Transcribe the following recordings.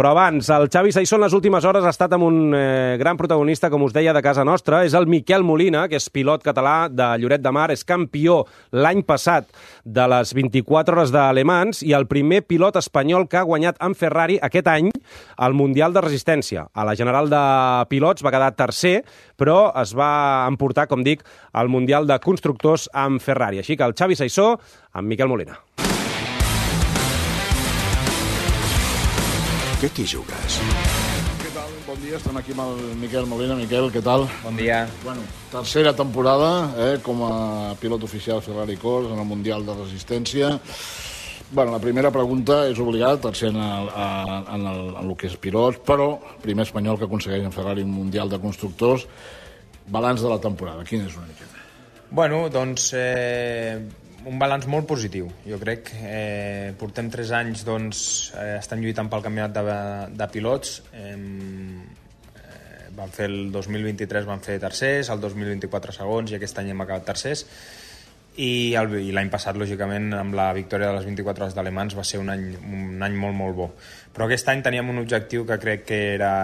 Però abans, el Xavi Saissó en les últimes hores ha estat amb un gran protagonista, com us deia, de casa nostra. És el Miquel Molina, que és pilot català de Lloret de Mar, és campió l'any passat de les 24 hores de Le Mans i el primer pilot espanyol que ha guanyat en Ferrari aquest any al Mundial de Resistència. A la General de Pilots va quedar tercer, però es va emportar, com dic, al Mundial de Constructors amb Ferrari. Així que el Xavi Saissó amb Miquel Molina. Què t'hi jugues? Què tal? Bon dia, estem aquí amb el Miquel Molina. Miquel, què tal? Bon dia. Bueno, tercera temporada com a pilot oficial Ferrari Corse en el Mundial de Resistència. Bueno, la primera pregunta és obligat, tercer en el que és pilots, però primer espanyol que aconsegueix en Ferrari un Mundial de Constructors. Balanç de la temporada, quin és una miqueta? Bueno, doncs un balanç molt positiu. Jo crec que portem 3 anys estan lluitant pel campionat de pilots. Van fer el 2023 van fer tercers, el 2024 segons i aquest any hem acabat tercers. I l'any passat, lògicament, amb la victòria de les 24 hores de Le Mans va ser un any molt, molt bo. Però aquest any teníem un objectiu que crec que era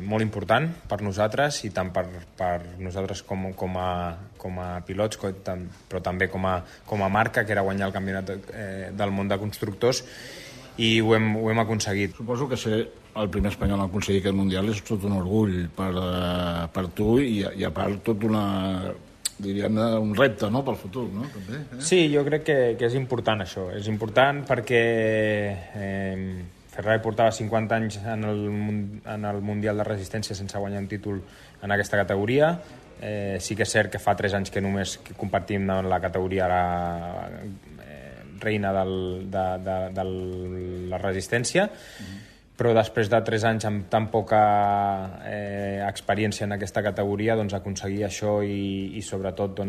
molt important per nosaltres i tant per nosaltres com a pilots, però també com a marca, que era guanyar el campionat del món de constructors, i ho hem aconseguit. Suposo que ser el primer espanyol a aconseguir aquest Mundial és tot un orgull per tu i a part tot un repte, no?, pel futur, no? També, Sí, jo crec que és important això. És important perquè Ferrari portava 50 anys en el Mundial de Resistència sense guanyar un títol en aquesta categoria. Sí que és cert que fa 3 anys que només compartim en la categoria reina de la resistència, però després de 3 anys amb tan poca experiència en aquesta categoria, aconseguir això i sobretot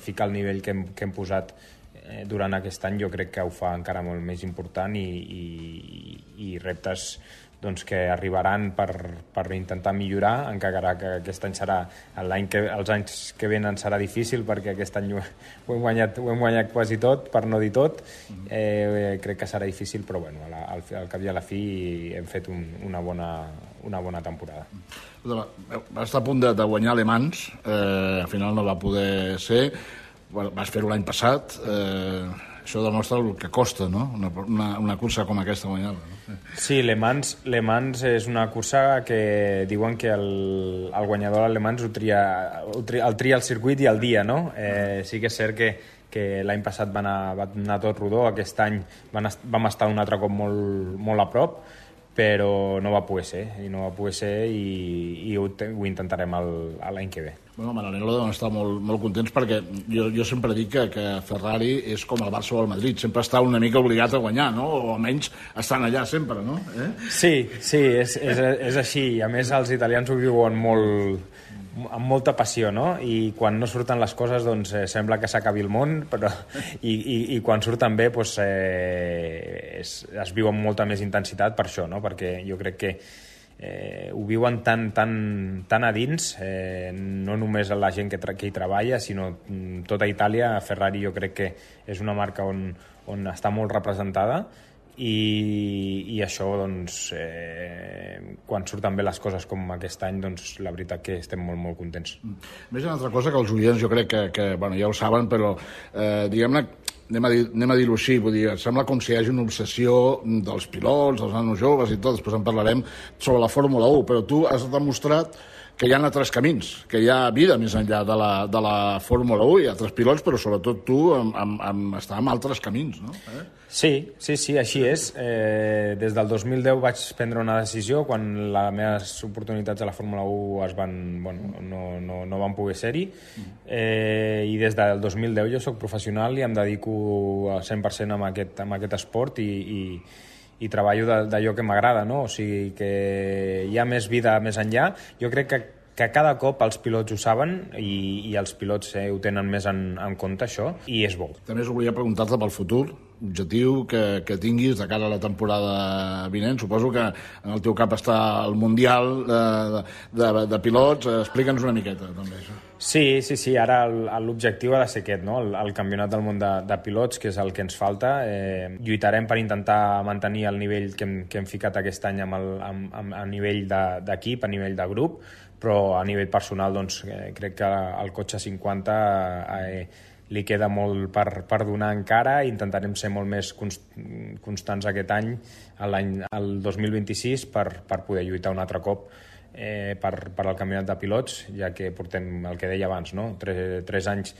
ficar el nivell que hem posat durant aquest any, jo crec que ho fa encara molt més important i reptes que arribaran per intentar millorar, encara que aquest any serà els anys que venen serà difícil perquè aquest any ho hem guanyat quasi tot, per no dir tot. Crec que serà difícil, però bueno, al cap i a la fi hem fet una bona temporada. Va estar a punt de guanyar Le Mans, al final no va poder ser. Vas fer-ho l'any passat. Això demostra el que costa, no?, una cursa com aquesta guanyar-la, no? Sí, Le Mans és una cursa que diuen que el guanyador del Le Mans el tria el circuit i el dia, no? Sí que és cert que l'any passat va anar tot rodó, aquest any vam estar un altre cop molt a prop, però no va poder ser i ho intentarem l'any que ve. Bueno, Maranello deuen estar molt contents perquè jo sempre dic que Ferrari és com el Barça o el Madrid, sempre està una mica obligat a guanyar, no? O almenys estan allà sempre, no? Sí, és així. A més, els italians ho viuen amb molta passió, no? I quan no surten les coses, sembla que s'acabi el món, però i quan surten bé es viu amb molta més intensitat per això, no? Perquè jo crec que ho viuen tan a dins, no només la gent que hi treballa, sinó tota Itàlia. Ferrari jo crec que és una marca on està molt representada i això, quan surten bé les coses com aquest any, la veritat que estem molt contents. Més una altra cosa que els oients jo crec que ja ho saben, però diguem-ne, anem a dir-ho així, vull dir, sembla com si hi hagi una obsessió dels pilots, dels nanos joves i tot, després en parlarem sobre la Fórmula 1, però tu has demostrat que hi ha altres camins, que hi ha vida més enllà de la Fórmula 1, hi ha altres pilots, però sobretot tu està en altres camins, no? Sí, així és. Des del 2010 vaig prendre una decisió quan les meves oportunitats a la Fórmula 1 no van poder ser-hi, i des del 2010 jo soc professional i em dedico al 100% a aquest esport i treballo d'allò que m'agrada, no? O sigui que hi ha més vida més enllà. Jo crec que cada cop els pilots ho saben i els pilots ho tenen més en compte, això, i és bo. També us volia preguntar-te pel futur, objectiu que tinguis de cara a la temporada vinent. Suposo que en el teu cap està el Mundial de pilots. Explica'ns una miqueta, també, això. Sí, ara l'objectiu ha de ser aquest, no? El campionat del món de pilots, que és el que ens falta. Lluitarem per intentar mantenir el nivell que hem ficat aquest any a nivell d'equip, a nivell de grup, però a nivell personal doncs, crec que al cotxe 50 li queda molt per donar encara. Intentarem ser molt més constants aquest any, el 2026, per poder lluitar un altre cop per al campionat de pilots, ja que portem el que deia abans, no? 3 anys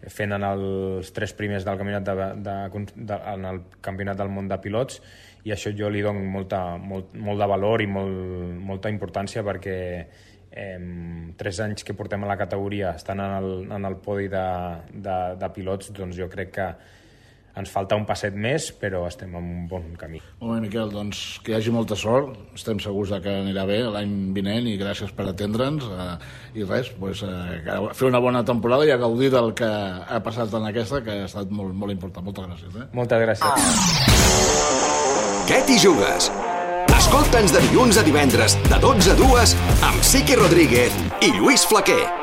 fent en els 3 primers del campionat en el campionat del món de pilots, i això jo li dono molt de valor i molta importància, perquè 3 anys que portem a la categoria estan en el podi de pilots, doncs jo crec que ens falta un passet més, però estem en un bon camí. Molt bé, Miquel, doncs que hi hagi molta sort. Estem segurs que anirà bé l'any vinent, i gràcies per atendre'ns. I res, fer una bona temporada i a gaudir del que ha passat en aquesta, que ha estat molt, molt important. Moltes gràcies. Moltes gràcies. Què t'hi jugues? Escolta'ns de dilluns a divendres, de 12 a 2, amb Siqui Rodríguez i Lluís Flaquer.